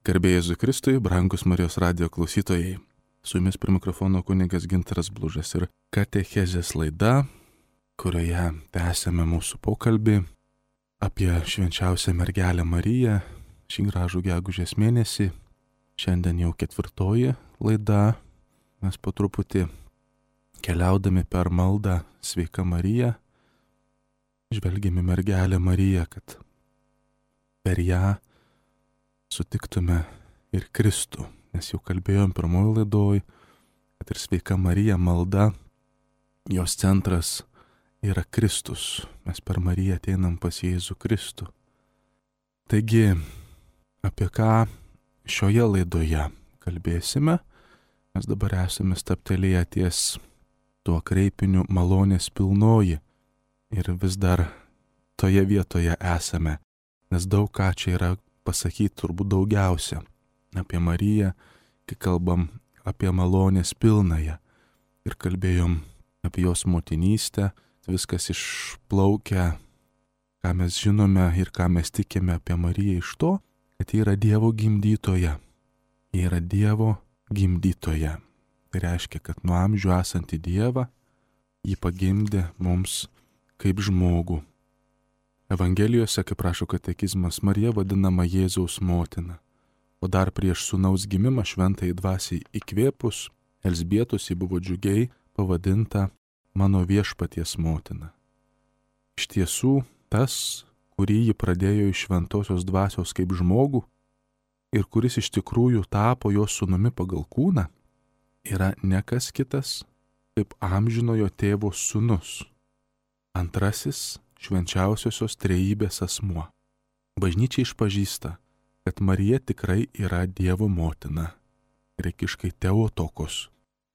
Garbė Jėzui Kristui, brangus Marijos radijo klausytojai. Su jumis prie mikrofono kunigas Gintaras Blužas ir katechezės laida, kurioje tęsėme mūsų pokalbį apie švenčiausią mergelę Mariją šį gražų gegužės mėnesį. Šiandien jau 4 laida. Mes po truputį keliaudami per maldą Sveika Marija, žvelgiame mergelę Mariją, kad per ją sutiktume ir Kristų, nes jau kalbėjom pirmoji laidoj, kad ir Sveika Marija malda, jos centras yra Kristus. Mes per Mariją ateinam pas Jėzų Kristų. Taigi, apie ką šioje laidoje kalbėsime? Mes dabar esame stabtelėję ties tuo kreipiniu malonės pilnoji ir vis dar toje vietoje esame, nes daug ką čia yra pasakyti, turbūt daugiausia apie Mariją, kai kalbam apie malonės pilnąją ir kalbėjom apie jos motinystę, viskas išplaukia, ką mes žinome ir ką mes tikime apie Mariją iš to, kad ji yra Dievo gimdytoja. Ji yra Dievo gimdytoja. Tai reiškia, kad nuo amžių esantį Dievą ji pagimdė mums kaip žmogų. Evangelijose, kaip rašo katekizmas, Marija vadinama Jėzaus motina, o dar prieš sūnaus gimimą šventajai dvasiai įkvėpus, Elzbietos ji buvo džiugiai pavadinta mano viešpaties motina. Iš tiesų, tas, kurį ji pradėjo iš šventosios dvasios kaip žmogų ir kuris iš tikrųjų tapo jos sūnumi pagal kūną, yra ne kas kitas, kaip amžinojo tėvo sūnus, antrasis švenčiausiosios trejybės asmuo. Bažnyčia išpažįsta, kad Marija tikrai yra Dievo motina, graikiškai Theotokos.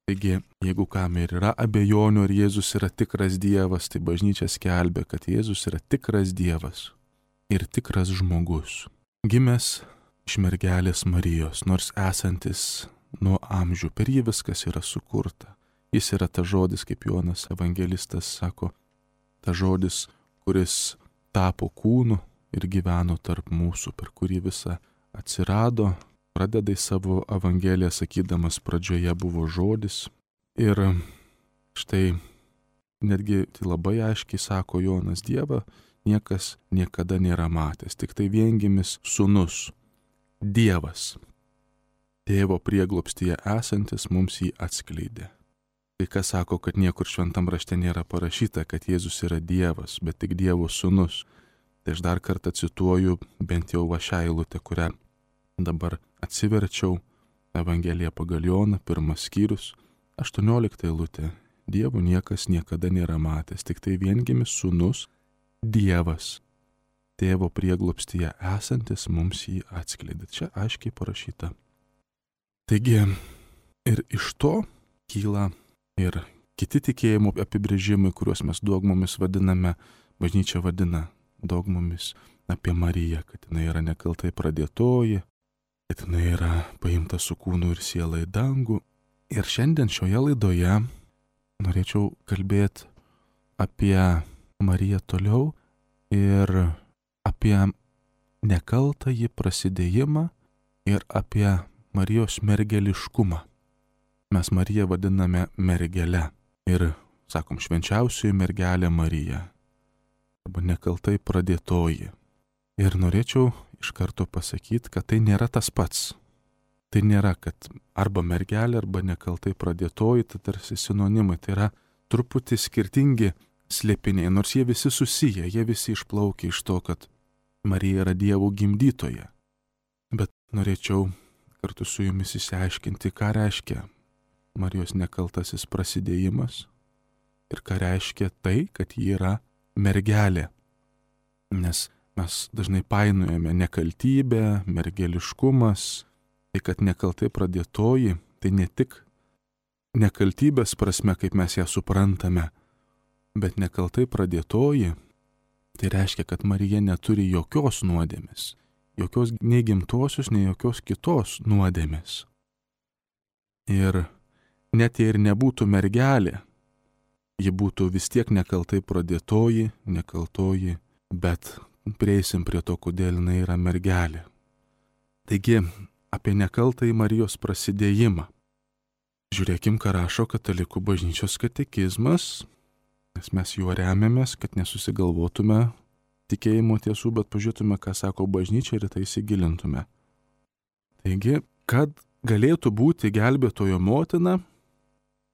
Taigi, jeigu kam ir yra abejonių, ar Jėzus yra tikras Dievas, tai bažnyčia skelbia, kad Jėzus yra tikras Dievas ir tikras žmogus, gimęs iš mergelės Marijos, nors esantis nuo amžių, per jį viskas yra sukurta. Jis yra ta žodis, kaip Jonas evangelistas sako, ta žodis, kuris tapo kūnu ir gyveno tarp mūsų, per kurį visa atsirado, pradeda į savo evangeliją sakydamas, pradžioje buvo žodis. Ir štai netgi tai labai aiškiai sako Jonas, Dievą niekas niekada nėra matęs, tik tai viengimis sūnus, Dievas, tėvo prieglobstyje esantis mums jį atskleidė. Kai kas sako, kad niekur šventam rašte nėra parašyta, kad Jėzus yra Dievas, bet tik Dievo sūnus. Tai aš dar kartą cituoju bent jau šią eilutę, kurią dabar atsiverčiau, Evangelija pagal Joną, 1 skyrius, 18 eilutė. Dievo niekas niekada nėra matęs, tik tai viengimis sūnus, Dievas, tėvo prieglobstyje esantis mums jį atskleidė. Čia aiškiai parašyta. Taigi ir iš to kyla ir kiti tikėjimo apibrėžimai, kuriuos mes dogmomis vadiname, bažnyčia vadina dogmomis apie Mariją, kad jinai yra nekaltai pradėtoji, kad jinai yra paimta su kūnu ir siela į dangų. Ir šiandien šioje laidoje norėčiau kalbėti apie Mariją toliau ir apie nekaltąjį prasidėjimą ir apie Marijos mergeliškumą. Mes Mariją vadiname mergele ir, sakom, švenčiausioji mergelė Marija, arba nekaltai pradėtoji. Ir norėčiau iš karto pasakyti, kad tai nėra tas pats. Tai nėra, kad arba mergelė, arba nekaltai pradėtoji, tai tarsi sinonimai, tai yra truputį skirtingi slėpiniai, nors jie visi susiję, jie visi išplaukia iš to, kad Marija yra Dievo gimdytoja. Bet norėčiau kartu su jumis išsiaiškinti, ką reiškia Marijos nekaltasis prasidėjimas ir ką reiškia tai, kad ji yra mergelė. Nes mes dažnai painiojame nekaltybę, mergeliškumas, tai kad nekaltai pradėtoji, tai ne tik nekaltybės prasme, kaip mes ją suprantame, bet nekaltai pradėtoji, tai reiškia, kad Marija neturi jokios nuodėmės, jokios nei gimtosios, nei jokios kitos nuodėmės. Ir net jei ir nebūtų mergelė, ji būtų vis tiek nekaltai pradėtoji, nekaltoji, bet prieisim prie to, kodėl jinai yra mergelė. Taigi, apie nekaltąjį Marijos prasidėjimą. Žiūrėkim, ką rašo Katalikų bažnyčios katekizmas, nes mes juo remiamės, kad nesusigalvotume tikėjimo tiesų, bet pažiūrėtume, ką sako bažnyčia ir tai įsigilintume. Taigi, kad galėtų būti gelbėtojo motina,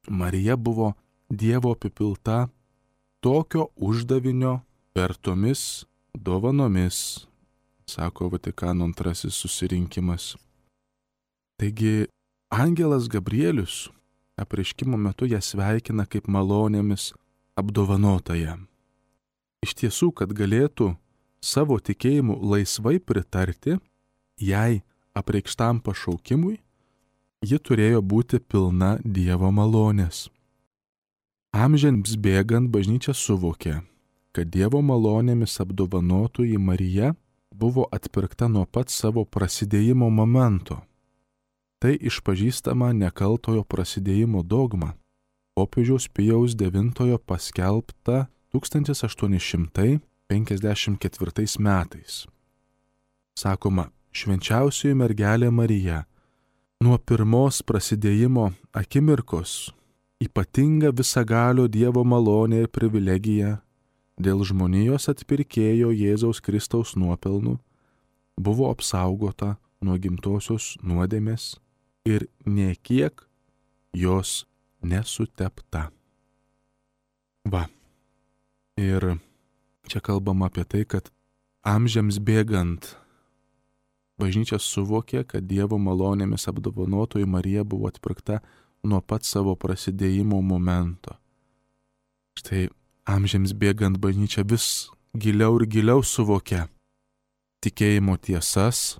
Marija buvo Dievo apipilta tokio uždavinio vertomis dovanomis, sako Vatikano II susirinkimas. Taigi, angelas Gabrielius apreiškimo metu ją sveikina kaip malonėmis apdovanotąją. Iš tiesų, kad galėtų savo tikėjimu laisvai pritarti jai apreikštam pašaukimui, ji turėjo būti pilna Dievo malonės. Amžiams bėgant bažnyčia suvokė, kad Dievo malonėmis apdovanotoji Marija buvo atpirkta nuo pat savo prasidėjimo momento. Tai išpažįstama nekaltojo prasidėjimo dogma, popiežiaus Pijaus IX paskelbta 1854 metais. Sakoma, švenčiausioji mergelė Marija nuo pirmos prasidėjimo akimirkos ypatinga visagalio Dievo malonė ir privilegija dėl žmonijos atpirkėjo Jėzaus Kristaus nuopelnų buvo apsaugota nuo gimtosios nuodėmės ir nė kiek jos nesutepta. Va. Ir čia kalbama apie tai, kad amžiams bėgant bažnyčia suvokė, kad Dievo malonėmis apdovanotoji Marija buvo atpirkta nuo pat savo prasidėjimo momento. Štai amžiams bėgant bažnyčia vis giliau ir giliau suvokė tikėjimo tiesas,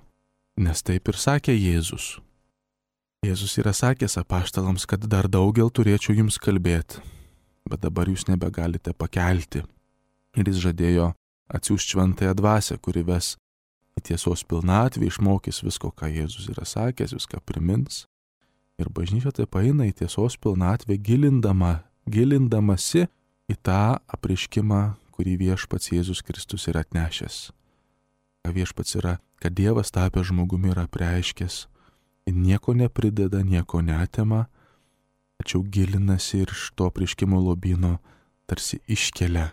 nes taip ir sakė Jėzus. Jėzus yra sakęs apaštalams, kad dar daugel turėčiau jums kalbėti, bet dabar jūs nebegalite pakelti. Ir jis žadėjo atsiųsti šventąją dvasią, kuri ves į tiesos pilnatvę, išmokys visko, ką Jėzus yra sakęs, viską primins. Ir bažnyčia taip eina į tiesos pilnatvę gilindamasi į tą apreiškimą, kurį viešpats Jėzus Kristus yra atnešęs. Ką viešpats yra, kad Dievas tapęs žmogumi yra apreiškęs, nieko neprideda, nieko neatima, tačiau gilinasi ir iš to apreiškimo lobyno tarsi iškelia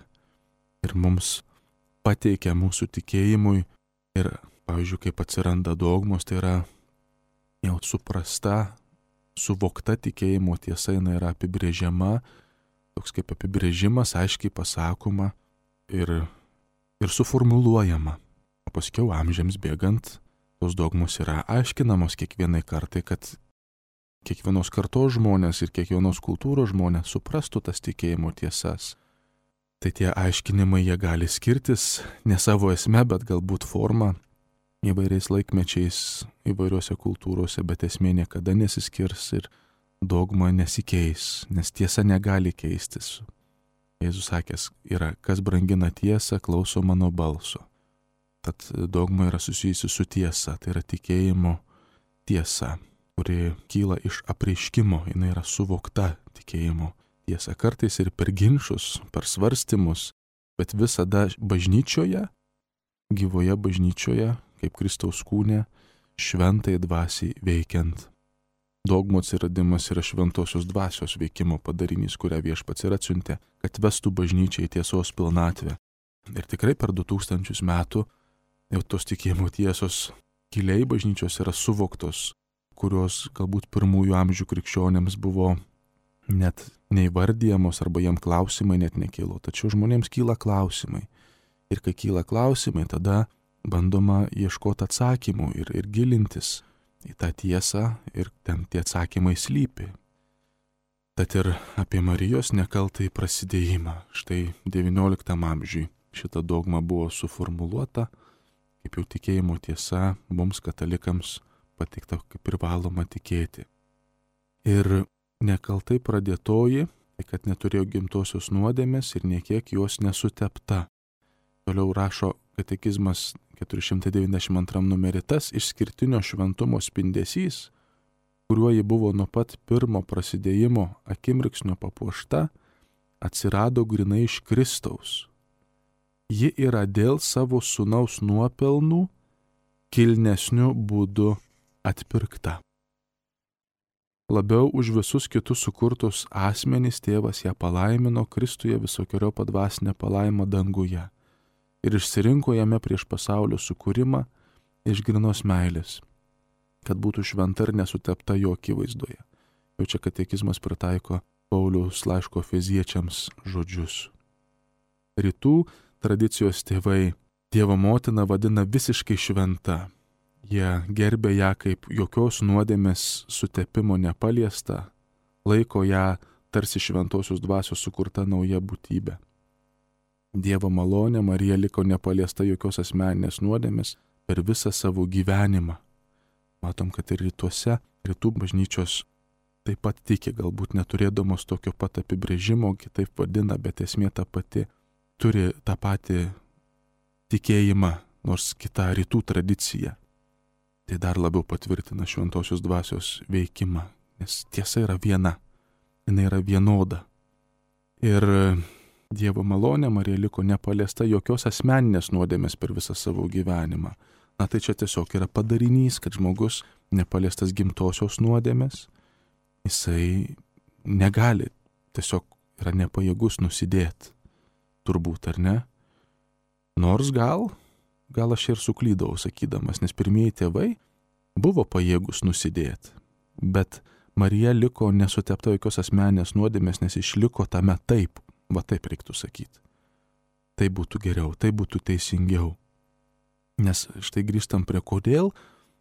ir mums pateikia mūsų tikėjimui. Ir, pavyzdžiui, kaip atsiranda dogmos, tai yra jau suprasta, suvokta tikėjimo tiesa, jinai yra apibrėžiama, toks kaip apibrėžimas, aiškiai pasakoma ir suformuluojama. O paskiau amžiams bėgant, tos dogmos yra aiškinamos kiekvienai kartai, kad kiekvienos kartos žmonės ir kiekvienos kultūros žmonės suprastų tas tikėjimo tiesas. Tai tie aiškinimai jie gali skirtis ne savo esme, bet galbūt forma įvairiais laikmečiais, įvairiuose kultūrose, bet esmė niekada nesiskirs ir dogma nesikeis, nes tiesa negali keistis. Jėzus sakęs yra, kas brangina tiesą, klauso mano balso. Tad dogma yra susijusi su tiesa, tai yra tikėjimo tiesa, kuri kyla iš apreiškimo, jinai yra suvokta tikėjimo tiesa, kartais ir per ginčus, per svarstymus, bet visada bažnyčioje, gyvoje bažnyčioje, kaip Kristaus kūne, šventai dvasiai veikiant. Dogmų atsiradimas yra šventosios dvasios veikimo padarinys, kurią viešpats ir atsiuntė, kad vestų bažnyčią į tiesos pilnatvę. Ir tikrai per 2000 metų jau tos tikėjimo tiesos giliai bažnyčios yra suvoktos, kurios galbūt pirmųjų amžių krikščionėms buvo net neįvardyjamos arba jiem klausimai net nekilo. Tačiau žmonėms kyla klausimai. Ir kai kyla klausimai, tada bandoma ieškoti atsakymų ir gilintis į tą tiesą ir ten tie atsakymai slypi. Tad ir apie Marijos nekaltąjį prasidėjimą. Štai XIX amžiui šita dogma buvo suformuluota, kaip jau tikėjimo tiesa mums katalikams pateikta kaip privaloma tikėti. Ir nekaltai pradėtoji, tai kad neturėjo gimtosios nuodėmės ir niekiek jos nesutepta. Toliau rašo katekizmas 492 numerį, tas išskirtinio šventumo spindesys, kuriuo ji buvo nuo pat pirmo prasidėjimo akimirksnio papuošta, atsirado grinai iš Kristaus. Ji yra dėl savo sūnaus nuopelnų kilnesniu būdu atpirkta. Labiau už visus kitus sukurtus asmenys tėvas ją palaimino Kristuje visokeriopą dvasinę palaimą danguje ir išsirinko jame prieš pasaulio sukūrimą iš grynos meilės, kad būtų šventa ir nesutepta jo akivaizdoje. Jau čia katekizmas pritaiko Pauliaus laiško Efeziečiams žodžius. Rytų tradicijos tėvai Dievo motiną vadina visiškai šventa. Jie gerbė ją kaip jokios nuodėmės sutepimo nepaliesta, laiko ją tarsi šventosios dvasios sukurta nauja būtybė. Dievo malonė Marija liko nepaliesta jokios asmeninės nuodėmės per visą savo gyvenimą. Matom, kad ir rytuose, rytų bažnyčios taip pat tiki, galbūt neturėdamos tokio pat apibrėžimo, kitaip vadina, bet esmė ta pati, turi tą patį tikėjimą, nors kita rytų tradicija. Tai dar labiau patvirtina šventosios dvasios veikimą, nes tiesa yra viena, jinai yra vienoda. Ir Dievo malonė Marija liko nepaliesta jokios asmeninės nuodėmės per visą savo gyvenimą. Na tai čia tiesiog yra padarinys, kad žmogus nepaliestas gimtosios nuodėmės, jisai negali, tiesiog yra nepajėgus nusidėti, turbūt, ar ne? Nors gal aš ir suklydau sakydamas, nes pirmieji tėvai buvo pajėgus nusidėti, bet Marija liko nesutepta jokios asmeninės nuodėmės, nes išliko tame taip, va taip reiktų sakyti. Tai būtų geriau, tai būtų teisingiau. Nes štai grįžtam prie kodėl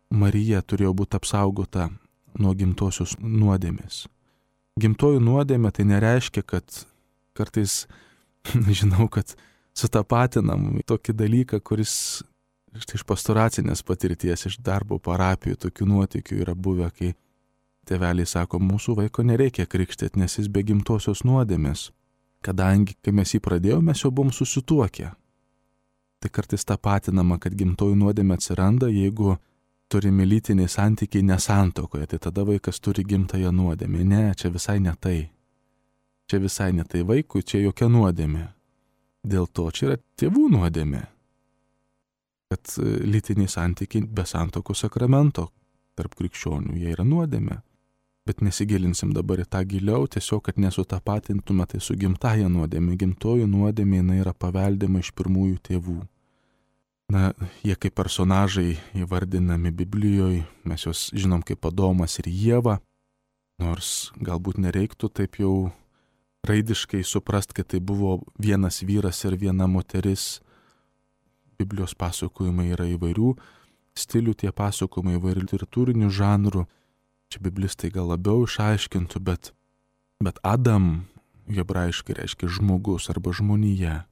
Marija turėjo būti apsaugota nuo gimtosios nuodėmės. Gimtojų nuodėmė tai nereiškia, kad kartais žinau, kad sutapatinam tokį dalyką, kuris štai iš pastoracinės patirties, iš darbo parapijų, tokių nuotykių yra buvę, kai tėveliai sako, mūsų vaiko nereikia krikštėti, nes jis be gimtosios nuodėmės, kadangi, kai mes jį pradėjome, mes jau buvom susituokę. Tai kartais tapatinama, kad gimtojų nuodėmė atsiranda, jeigu turimi lytiniai santykiai nesantuokoje, tai tada vaikas turi gimtąją nuodėmę. Ne, čia visai ne tai. Čia visai ne tai vaikui, čia jokia nuodėmė. Dėl to čia yra tėvų nuodėmė, kad lytiniai santykiai be santuokos sakramento tarp krikščionių, jie yra nuodėmė. Bet nesigilinsim dabar į tą giliau, tiesiog, kad nesutapatintume tai su gimtaja nuodėmė. Gimtoji nuodėmė jinai yra paveldima iš pirmųjų tėvų. Na, jie kaip personažai įvardinami Biblijoje, mes juos žinom kaip Adomas ir Ieva, nors galbūt nereiktų taip jau raidiškai suprast, kad tai buvo vienas vyras ir viena moteris. Biblijos pasakojimai yra įvairių stilių, tie pasakojimai įvairių literatūrinių žanrų. Čia biblistai gal labiau išaiškintų, bet Adam hebrajiškai reiškia žmogus arba žmonija.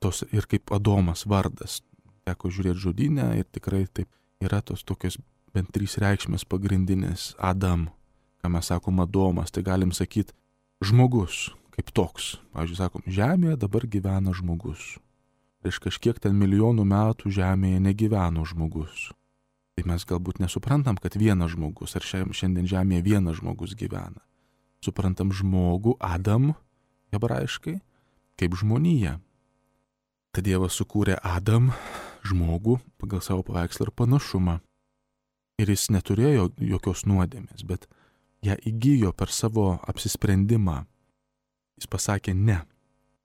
Tos ir kaip Adomas vardas. Teko žiūrėti žodyne ir tikrai taip yra tos tokios bent 3 reikšmės pagrindinės. Adam, ką mes sakom Adomas, tai galim sakyti žmogus kaip toks. Pavyzdžiui, sakom, žemėje dabar gyvena žmogus. Prieš kažkiek ten milijonų metų žemėje negyveno žmogus. Tai mes galbūt nesuprantam, kad vienas žmogus, ar šiandien žemėje vienas žmogus gyvena. Suprantam žmogų, Adam, hebrajiškai, kaip žmoniją. Tad Dievas sukūrė Adam, žmogų, pagal savo paveikslą ir panašumą. Ir jis neturėjo jokios nuodėmės, bet ją įgijo per savo apsisprendimą. Jis pasakė ne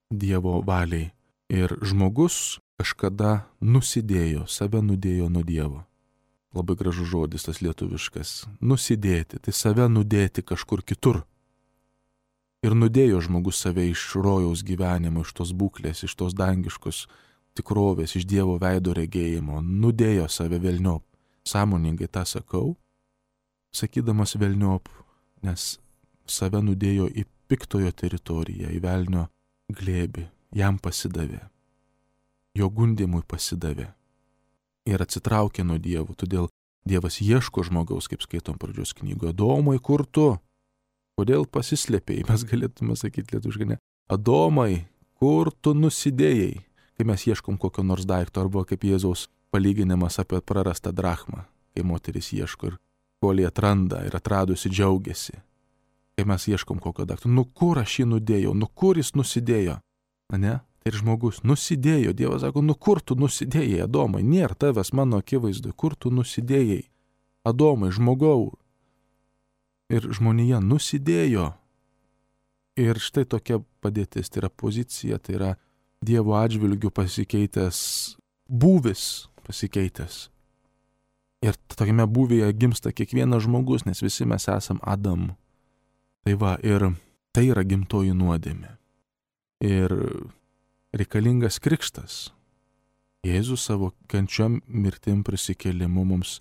Dievo valiai. Ir žmogus kažkada nusidėjo, save nudėjo nuo Dievo. Labai gražus žodis tas lietuviškas. Nusidėti, tai save nudėti kažkur kitur. Ir nudėjo žmogus save iš rojaus gyvenimo, iš tos būklės, iš tos dangiškos tikrovės, iš Dievo veido regėjimo. Nudėjo save velniop. Sąmoningai tą sakau, sakydamas velniop, nes save nudėjo į piktojo teritoriją, į velnio glėbį. Jam pasidavė, jo gundimui pasidavė ir atsitraukė nuo Dievo. Todėl Dievas ieško žmogaus, kaip skaitom pradžios knygoje. Adomai, kur tu? Kodėl pasislėpėjai? Mes galėtume sakyti lietuviškai, ne? Adomai, kur tu nusidėjai? Kai mes ieškom kokio nors daikto, arba kaip Jėzaus palyginimas apie prarastą drachmą, kai moteris ieško ir kol jį atranda ir atradusi džiaugiasi. Kai mes ieškom kokio daikto, nu kur aš jį nudėjau, nu kur jis nusidėjo? Ne? Tai ir žmogus nusidėjo. Dievas sako, nu kur tu nusidėjai, Adomai, nėra tavęs mano akivaizdui, kur tu nusidėjai? Adomai, žmogau. Ir žmonija nusidėjo. Ir štai tokia padėtis, tai yra pozicija, tai yra Dievo atžvilgių pasikeitęs būvis pasikeitęs. Ir tokiame būvyje gimsta kiekvienas žmogus, nes visi mes esam Adam. Tai va, ir tai yra gimtoji nuodėmė. Ir reikalingas krikštas. Jėzus savo kančiom, mirtim, prisikėlimu mums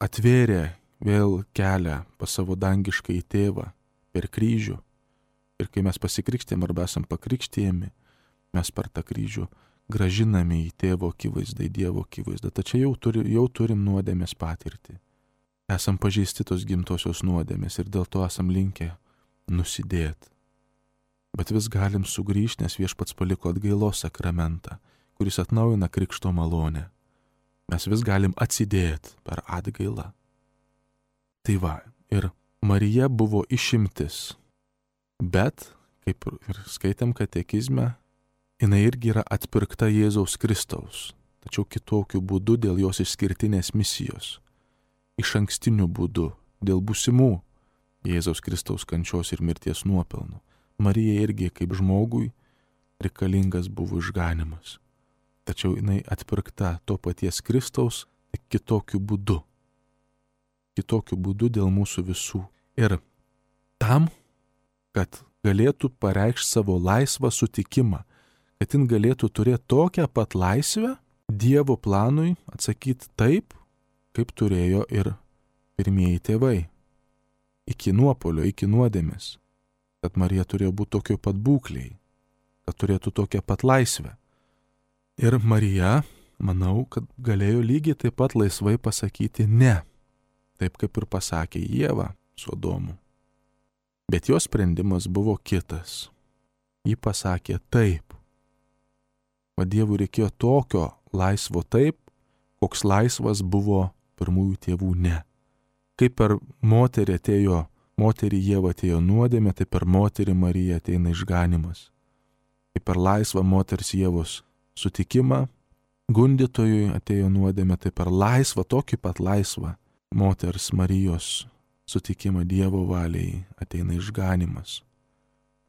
atvėrė vėl kelią pas savo dangišką į tėvą per kryžių. Ir kai mes pasikrikštėm arba esam pakrikštėjami, mes per tą kryžių gražiname į tėvo akivaizdą, į Dievo akivaizdą. Tačiau jau turim nuodėmės patirtį. Esam pažeisti tos gimtosios nuodėmės ir dėl to esam linkę nusidėti. Bet vis galim sugrįžti, nes Viešpats paliko atgailos sakramentą, kuris atnaujina krikšto malonę. Mes vis galim atsidėti per atgailą. Tai va, ir Marija buvo išimtis. Bet, kaip ir skaitėm katekizme, jinai irgi yra atpirkta Jėzaus Kristaus, tačiau kitokiu būdu dėl jos išskirtinės misijos, iš ankstiniu būdu, dėl būsimų Jėzaus Kristaus kančios ir mirties nuopelnų. Marija irgi kaip žmogui reikalingas buvo išganimas, tačiau jinai atpirkta to paties Kristaus kitokiu būdu dėl mūsų visų. Ir tam, kad galėtų pareikšti savo laisvą sutikimą, kad jin galėtų turėti tokią pat laisvę Dievo planui atsakyti taip, kaip turėjo ir pirmieji tėvai. Iki nuopuolio, iki nuodėmės. Kad Marija turėjo būti tokio pat būkliai, kad turėtų tokią pat laisvę. Ir Marija, manau, kad galėjo lygiai taip pat laisvai pasakyti ne, taip kaip ir pasakė Ieva su Adomu. Bet jos sprendimas buvo kitas. Ji pasakė taip. O Dievui reikėjo tokio laisvo taip, koks laisvas buvo pirmųjų tėvų ne. Kaip per moterį Ieva atėjo nuodėmė, tai per moterį Mariją ateina išganimas. Kaip per laisvą moters Ievos sutikimą gundytojui atėjo nuodėmė, tai per laisvą, tokį pat laisvą moters Marijos sutikimą Dievo valiai ateina išganimas.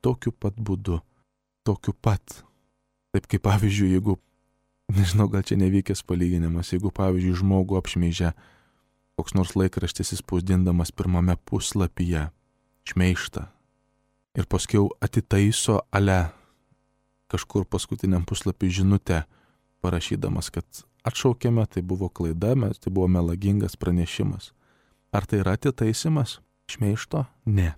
Tokiu pat būdu, tokiu pat. Taip kaip pavyzdžiui, jeigu, nežinau, gal čia nevykęs palyginimas, jeigu pavyzdžiui žmogų apšmeižia koks nors laikraštis įspausdindamas pirmame puslapyje šmeižtą ir paskiau atitaiso kažkur paskutiniam puslapį žinutę parašydamas, kad atšaukėme, tai buvo klaida, tai buvo melagingas pranešimas. Ar tai yra atitaisimas šmeižto? Ne.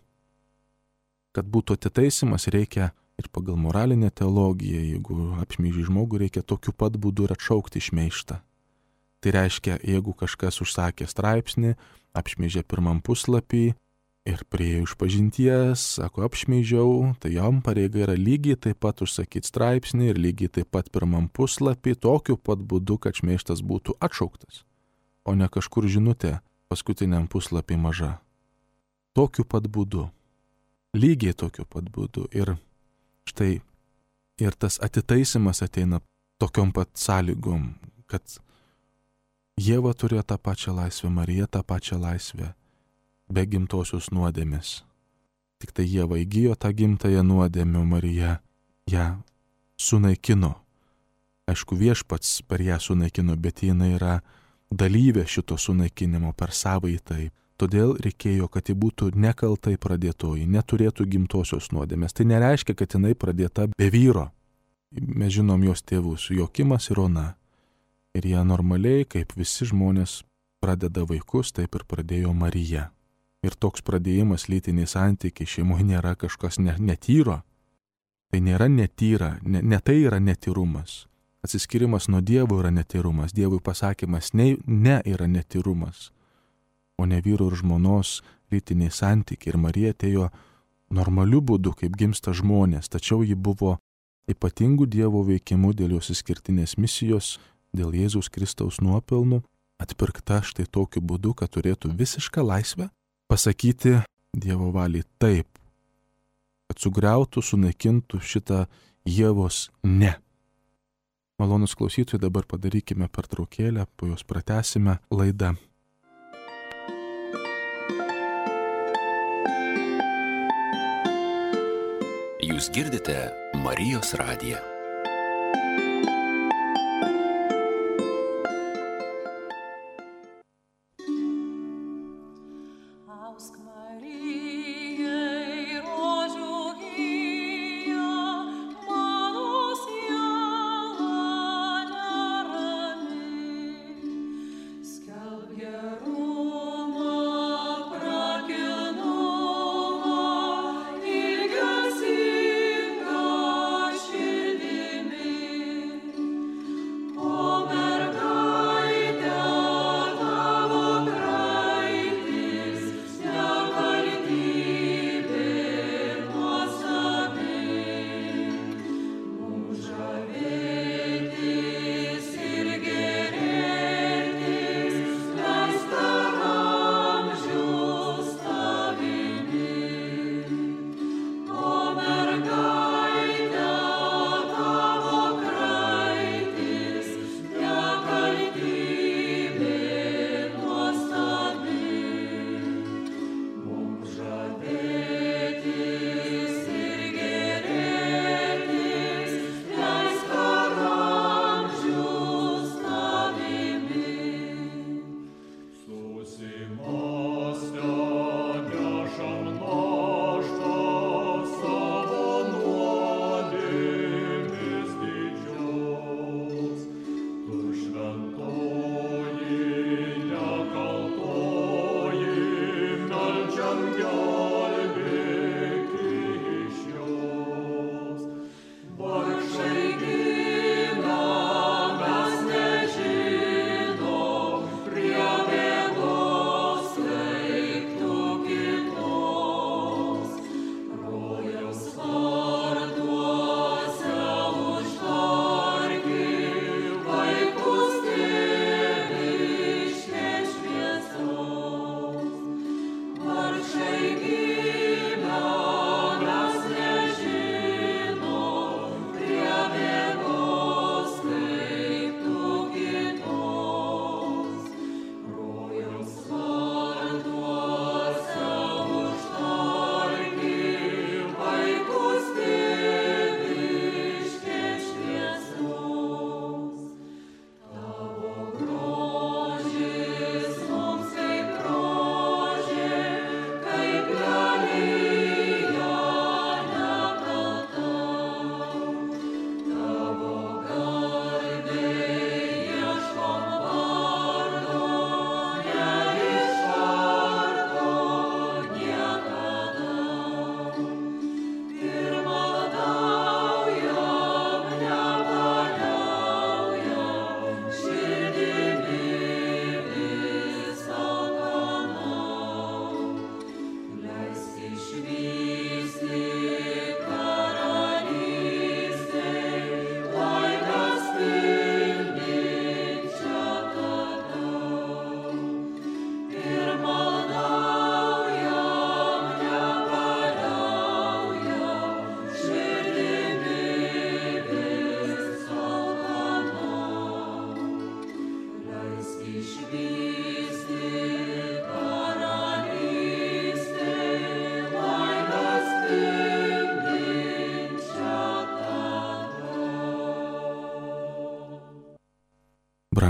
Kad būtų atitaisimas, reikia ir pagal moralinę teologiją, jeigu apšmeiži žmogų, reikia tokiu pat būdu ir atšaukti šmeižtą. Tai reiškia, jeigu kažkas užsakė straipsnį, apšmeižė pirmam puslapį ir priėjo išpažinties, sako apšmeižiau, tai jam pareiga yra lygiai taip pat užsakyti straipsnį ir lygiai taip pat pirmam puslapį, tokiu pat būdu, kad šmeižtas būtų atšauktas, o ne kažkur žinutė paskutiniam puslapį maža. Tokiu pat būdu. Lygiai tokiu pat būdu. Ir štai, ir tas atitaisimas ateina tokiom pat sąlygom, kad Ieva turėjo tą pačią laisvę, Marija tą pačią laisvę, be gimtosios nuodėmės. Tik tai Ieva įgijo tą gimtąją nuodėmę, Marija ją sunaikino. Aišku, Viešpats per ją sunaikino, bet jinai yra dalyvė šito sunaikinimo per savąjį taip. Todėl reikėjo, kad ji būtų nekaltai pradėtoji, neturėtų gimtosios nuodėmės. Tai nereiškia, kad jinai pradėta be vyro. Mes žinom jos tėvus, Jokimas ir Ona. Ir jie normaliai, kaip visi žmonės pradeda vaikus, taip ir pradėjo Marija. Ir toks pradėjimas lytiniai santykiai šeimoje nėra kažkas netyro. Tai nėra netyra, ne tai yra netyrumas. Atsiskirimas nuo Dievo yra netyrumas. Dievui pasakymas ne yra netyrumas. O ne vyro ir žmonos lytiniai santykiai. Ir Marija atėjo normaliu būdu, kaip gimsta žmonės. Tačiau ji buvo ypatingų Dievo veikimų dėl jos išskirtinės misijos, dėl Jėzaus Kristaus nuopelnų, atpirkta štai tokiu būdu, kad turėtų visišką laisvę pasakyti Dievo valiai taip, kad sugriautų, sunaikintų šitą Ievos ne. Malonus klausytojai, dabar padarykime pertraukėlę, po jos pratęsime laidą. Jūs girdite Marijos radiją.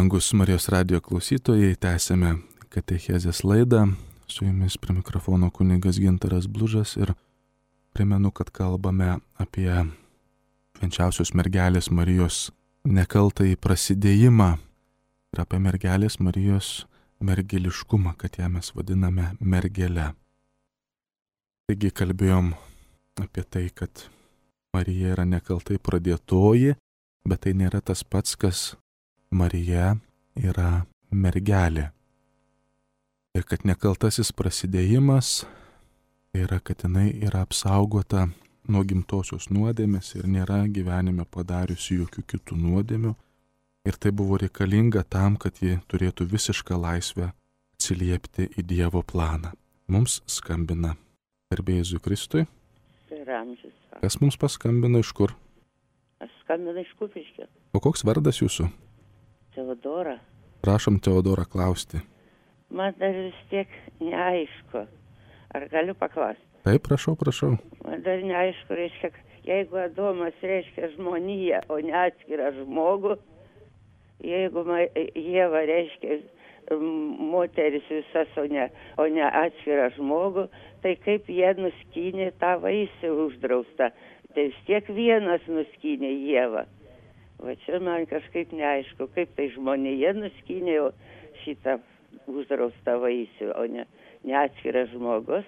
Brangus Marijos radijo klausytojai, tęsėme katechezės laidą. Su jumis prie mikrofono kunigas Gintaras Blužas ir primenu, kad kalbame apie švenčiausios mergelės Marijos nekaltąjį prasidėjimą ir apie mergelės Marijos mergeliškumą, kad ją mes vadiname mergele. Taigi kalbėjom apie tai, kad Marija yra nekaltai pradėtoji, bet tai nėra tas pats, kas Marija yra mergelė. Ir kad nekaltasis prasidėjimas yra, kad jinai yra apsaugota nuo gimtosios nuodėmės ir nėra gyvenime padariusi jokių kitų nuodėmių. Ir tai buvo reikalinga tam, kad ji turėtų visišką laisvę atsiliepti į Dievo planą. Mums skambina garbė Jėzui Kristui. Kas mums paskambino, iš kur? Aš skambinu iš Kupiškio. O koks vardas jūsų? Teodora. Prašom Teodora klausti. Man dar vis tiek neaišku. Ar galiu paklausti? Taip, prašau. Man dar neaišku, reiškia, Jeigu Adomas reiškia žmoniją, o ne atskirą žmogų, jeigu Ieva reiškia moteris visas, o ne atskirą žmogų, tai kaip jie nuskynė tą vaisių uždraustą. Tai vis tiek vienas nuskynė Ievą. Va čia man kažkaip neaišku, kaip tai žmonija nuskynė šitą uždraustą vaisių, o ne atskiras žmogus.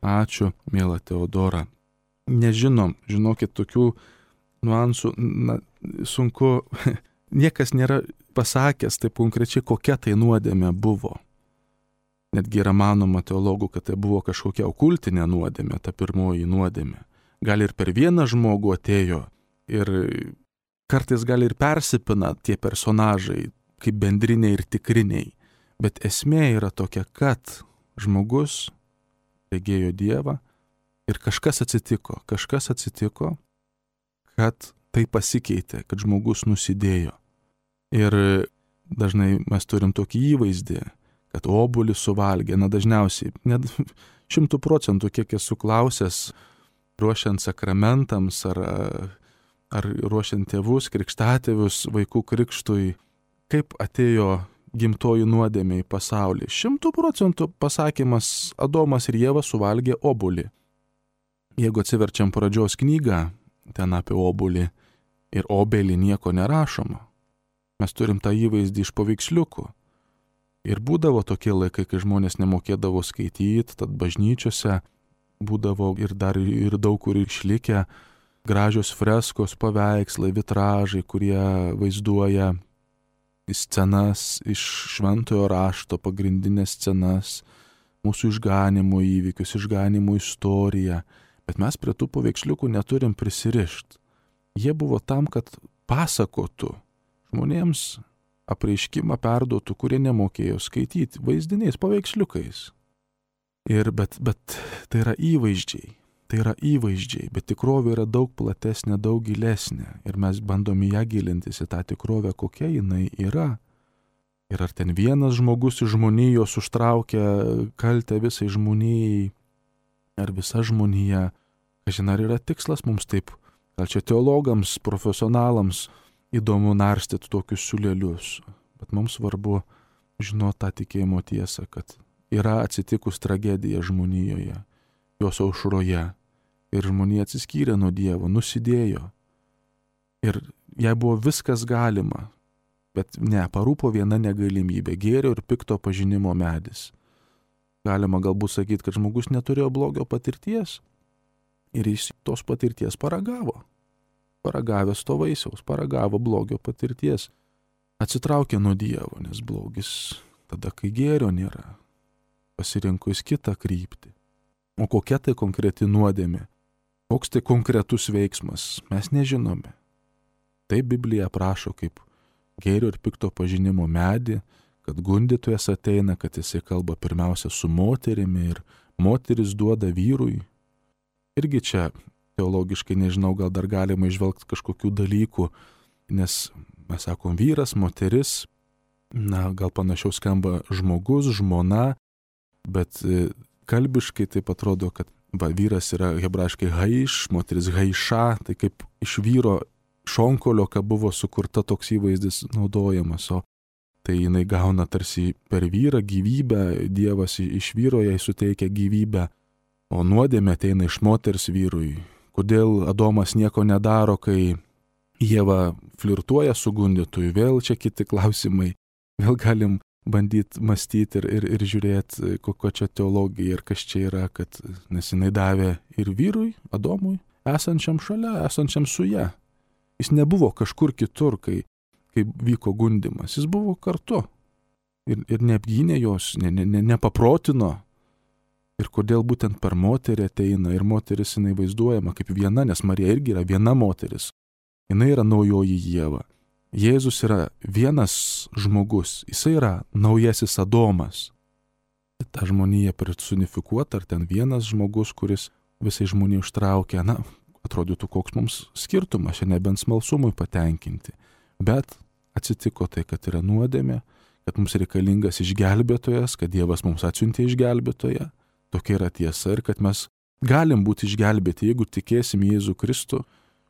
Ačiū, miela Teodora. Nežinom, žinokit, tokių nuansų, sunku, niekas nėra pasakęs taip konkrečiai, kokia tai nuodėmė buvo. Netgi yra manoma teologų, kad tai buvo kažkokia okultinė nuodėmė, ta pirmoji nuodėmė. Gal ir per vieną žmogų atėjo ir kartais gal ir persipina tie personažai, kaip bendriniai ir tikriniai. Bet esmė yra tokia, kad žmogus regėjo Dievą ir kažkas atsitiko, kad tai pasikeitė, kad žmogus nusidėjo. Ir dažnai mes turim tokį įvaizdį, kad obuolį suvalgė, dažniausiai, net 100%, kiek esu klausęs, ruošiant sakramentams ar ruošiant tėvus, krikštatėvius, vaikų krikštui, kaip atėjo gimtoji nuodėmė į pasaulį. 100% pasakymas Adomas ir Ieva suvalgė obuolį. Jeigu atsiverčiam pradžios knygą, ten apie obuolį ir obelį nieko nerašoma. Mes turim tą įvaizdį iš paveiksliukų. Ir būdavo tokie laikai, kai žmonės nemokėdavo skaityti, tad bažnyčiose būdavo ir dar ir daug kur išlikę gražios freskos, paveikslai, vitražai, kurie vaizduoja scenas iš šventojo rašto, pagrindinės scenas, mūsų išganimo įvykius, išganimo istoriją. Bet mes prie tų paveiksliukų neturim prisirišti. Jie buvo tam, kad pasakotų žmonėms, apreiškimą perduotų, kurie nemokėjo skaityti, vaizdiniais, paveiksliukais. Bet tai yra įvaizdžiai, bet tikrovė yra daug platesnė, daug gilesnė. Ir mes bandom į ją gilintis, į tą tikrovę, kokia jinai yra. Ir ar ten vienas žmogus iš žmonijos užtraukia kaltę visai žmonijai, ar visa žmonija. Kažin ar yra tikslas mums taip, gal čia teologams, profesionalams įdomu narstyti tokius siūlelius. Bet mums svarbu žinoti tą tikėjimo tiesą, kad yra atsitikus tragedija žmonijoje, jos aušroje. Ir žmonija atsiskyrė nuo Dievo, nusidėjo. Ir jai buvo viskas galima. Bet ne, parūpo viena negalimybė, gėrio ir pikto pažinimo medis. Galima galbūt sakyti, kad žmogus neturėjo blogio patirties ir jis tos patirties paragavo. Paragavęs to vaisiaus, paragavo blogio patirties. Atsitraukė nuo Dievo, nes blogis tada, kai gėrio nėra. Pasirinko jis kitą kryptį. O kokia tai konkreti nuodėmė? Koks tai konkretus veiksmas? Mes nežinome. Tai Biblija aprašo kaip gėrio ir pikto pažinimo medį, kad gundytojas ateina, kad jisai kalba pirmiausia su moterimi ir moteris duoda vyrui. Irgi čia teologiškai nežinau, gal dar galima išvelgti kažkokių dalykų, nes mes sakom vyras, moteris, gal panašiau skamba žmogus, žmona, bet kalbiškai taip atrodo, kad vyras yra hebrajiškai haiš, moteris haiša, tai kaip iš vyro šonkolio, ką buvo sukurta toks įvaizdis naudojamas, o tai jinai gauna tarsi per vyrą gyvybę, Dievas iš vyro jai suteikia gyvybę, o nuodėmė ateina iš moters vyrui. Kodėl Adomas nieko nedaro, kai Ieva flirtuoja su gundytoju? Vėl čia kiti klausimai. Vėl galim bandyti mąstyti ir žiūrėti, kokio čia teologija ir kas čia yra, kad nes jinai davė ir vyrui, Adomui, esančiam šalia, esančiam su ja. Jis nebuvo kažkur kitur, kai vyko gundymas. Jis buvo kartu ir neapgynė jos, nepaprotino. Ir kodėl būtent per moterį ateina ir moteris jinai vaizduojama kaip viena, nes Marija irgi yra viena moteris. Jinai yra naujoji Ieva. Jėzus yra vienas žmogus, jisai yra naujasis Adomas. Ta žmonija personifikuota, ar ten vienas žmogus, kuris visai žmonijai užtraukia, atrodytų koks mums skirtumas, čia nebent smalsumui patenkinti. Bet atsitiko tai, kad yra nuodėmė, kad mums reikalingas išgelbėtojas, kad Dievas mums atsiuntė išgelbėtoją. Tokia yra tiesa ir kad mes Galim būti išgelbėti, jeigu tikėsim Jėzų Kristų,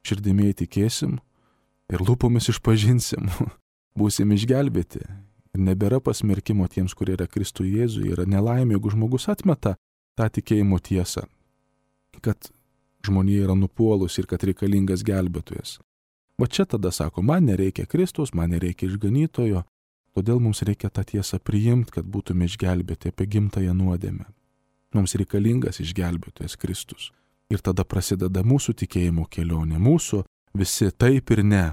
širdimi įtikėsim ir lūpomis išpažinsim, būsim išgelbėti. Ir nebėra pasmerkimo tiems, kurie yra Kristų Jėzui. Yra nelaimė, jeigu žmogus atmeta tą tikėjimo tiesą, kad žmonija yra nupuolus ir kad reikalingas gelbėtojas. Va čia tada sako, man nereikia Kristaus, man nereikia išganytojo, todėl mums reikia tą tiesą priimti, kad būtume išgelbėti apie gimtąją nuodėmę. Mums reikalingas išgelbėtojas Kristus. Ir tada prasideda mūsų tikėjimo kelionė, mūsų visi taip ir ne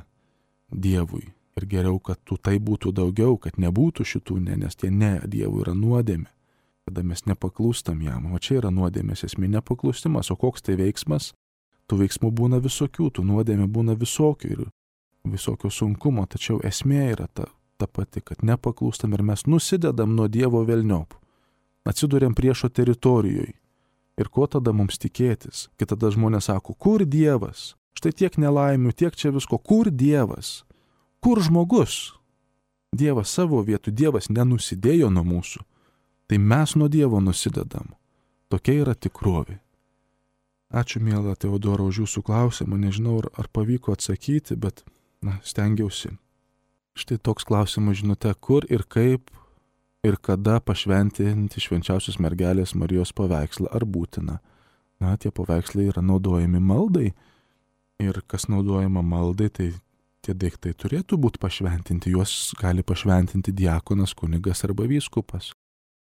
Dievui. Ir geriau, kad tų tai būtų daugiau, kad nebūtų šitų ne, nes tie ne Dievui yra nuodėmė. Kada mes nepaklūstam jam, o čia yra nuodėmės esmė nepaklustimas, o koks tai veiksmas? Tų veiksmų būna visokių, tų nuodėmė būna visokių ir visokio sunkumo, tačiau esmė yra ta pati, kad nepaklūstam ir mes nusidedam nuo Dievo velniop. Atsiduriam priešo teritorijoje. Ir ko tada mums tikėtis? Kai tada žmonės sako, kur Dievas? Štai tiek nelaimių, tiek čia visko, kur Dievas? Kur žmogus? Dievas savo vietų, Dievas nenusidėjo nuo mūsų. Tai mes nuo Dievo nusidedam. Tokia yra tikrovė. Ačiū, miela Teodora, už jūsų klausimą. Nežinau, ar pavyko atsakyti, bet stengiausi. Štai toks klausimas žinote, kur ir kaip ir kada pašventinti švenčiausios mergelės Marijos paveikslą, ar būtina. Tie paveikslai yra naudojami maldai. Ir kas naudojama maldai, tai tie daiktai turėtų būti pašventinti. Juos gali pašventinti diakonas, kunigas arba vyskupas.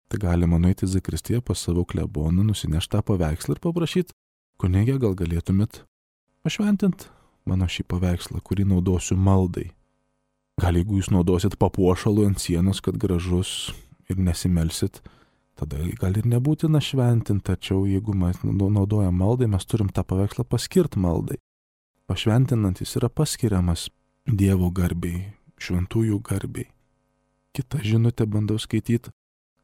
Tai galima nueiti į zakristiją pas savo kleboną, nusinešti tą paveikslą ir paprašyti, kunigė, gal galėtumėt pašventinti mano šį paveikslą, kurį naudosiu maldai. Gal jeigu jūs naudosit papuošalų ant sienos, kad gražus ir nesimelsit, tada gal ir nebūtina šventinti, tačiau jeigu mes naudojam maldai, mes turim tą paveikslą paskirti maldai. Pašventinant jis yra paskiriamas Dievo garbei, šventųjų garbei. Kita žinutė bandau skaityti,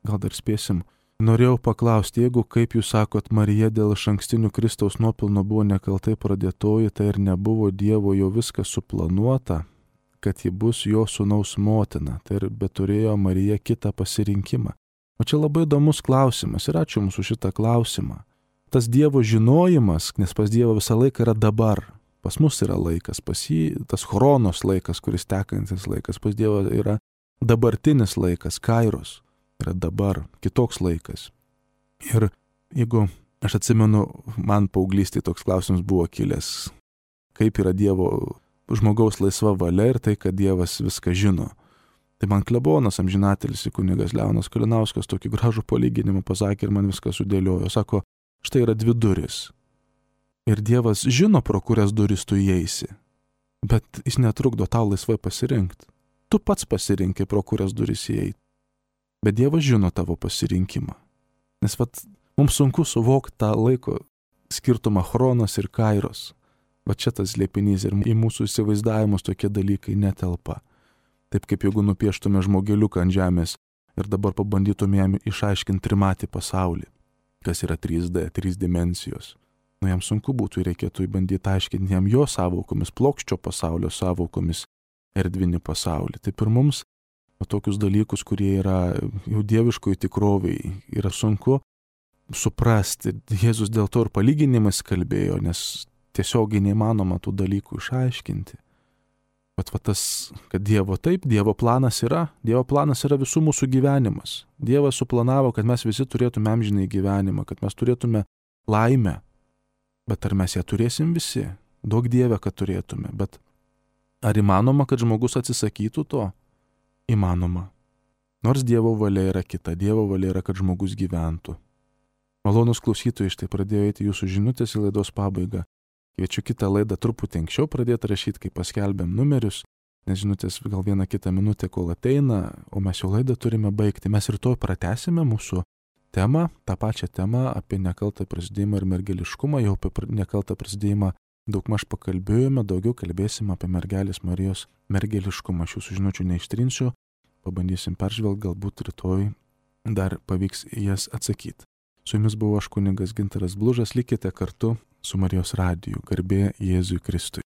gal dar spėsim. Norėjau paklausti, jeigu, kaip jūs sakot, Marija dėl išankstinių Kristaus nuopelnų buvo nekaltai pradėtoji, tai ir nebuvo Dievo jo viskas suplanuota, kad ji bus jo sūnaus motina, tai ir beturėjo Marija kitą pasirinkimą. O čia labai įdomus klausimas ir ačiū jums už šitą klausimą. Tas Dievo žinojimas, nes pas Dievą visą laiką yra dabar. Pas mus yra laikas, pas jį tas chronos laikas, kuris tekantis laikas, pas Dievą yra dabartinis laikas, kairos, yra dabar, kitoks laikas. Ir jeigu, aš atsimenu, man paauglystėje toks klausimas buvo kilęs, kaip yra Dievo žmogaus laisva valia ir tai, kad Dievas viską žino. Tai man klebonas amžinatelis kunigas Leonas Kalinauskas tokį gražų palyginimą pasakė ir man viską sudėliojo. Sako, štai yra dvi durys. Ir Dievas žino, pro kurias duris tu įeisi, bet jis netrukdo tau laisvai pasirinkti. Tu pats pasirinkai, pro kurias duris įeiti. Bet Dievas žino tavo pasirinkimą. Nes mums sunku suvokti tą laiko skirtumą chronos ir kairos. Čia tas slėpinys ir į mūsų įsivaizdavimus tokie dalykai netelpa. Taip kaip jeigu nupieštume žmogeliuką ant žemės ir dabar pabandytume jam išaiškinti trimatį pasaulį, kas yra 3D, 3 dimensijos. Jam sunku būtų ir reikėtų bandyti aiškinti jam jo sąvokomis, plokščio pasaulio sąvokomis, erdvinį pasaulį. Taip ir mums tokius dalykus, kurie yra jau dieviškoje tikrovėje, yra sunku suprasti. Jėzus dėl to ir palyginimais kalbėjo, nes tiesiogiai neįmanoma tų dalykų išaiškinti. Bet tas, kad Dievo planas yra visų mūsų gyvenimas. Dievas suplanavo, kad mes visi turėtume amžinąjį gyvenimą, kad mes turėtume laimę. Bet ar mes ją turėsim visi? Duok Dieve, kad turėtume. Bet ar įmanoma, kad žmogus atsisakytų to? Įmanoma. Nors Dievo valia yra kita. Dievo valia yra, kad žmogus gyventų. Malonus klausytojai, štai pradėjo eiti jūsų žinutės į laidos pabaigą. Kviečiu kitą laidą truputį anksčiau pradėti rašyti, kai paskelbėm numerius, nes žinutės gal vieną kitą minutę, kol ateina, o mes jau laidą turime baigti. Mes rytoj pratęsime mūsų temą, tą pačią temą apie nekaltą prasidėjimą ir mergeliškumą. Jau apie nekaltą prasidėjimą daugmaž pakalbėjome, daugiau kalbėsime apie mergelės Marijos mergeliškumą. Aš jūsų žinučių neištrinsiu, pabandysim peržvelgti, galbūt rytoj dar pavyks jas atsakyti. Su jumis buvo aš kunigas Gintaras Blužas, likite kartu su Marijos radiju. Garbė Jėzui Kristui.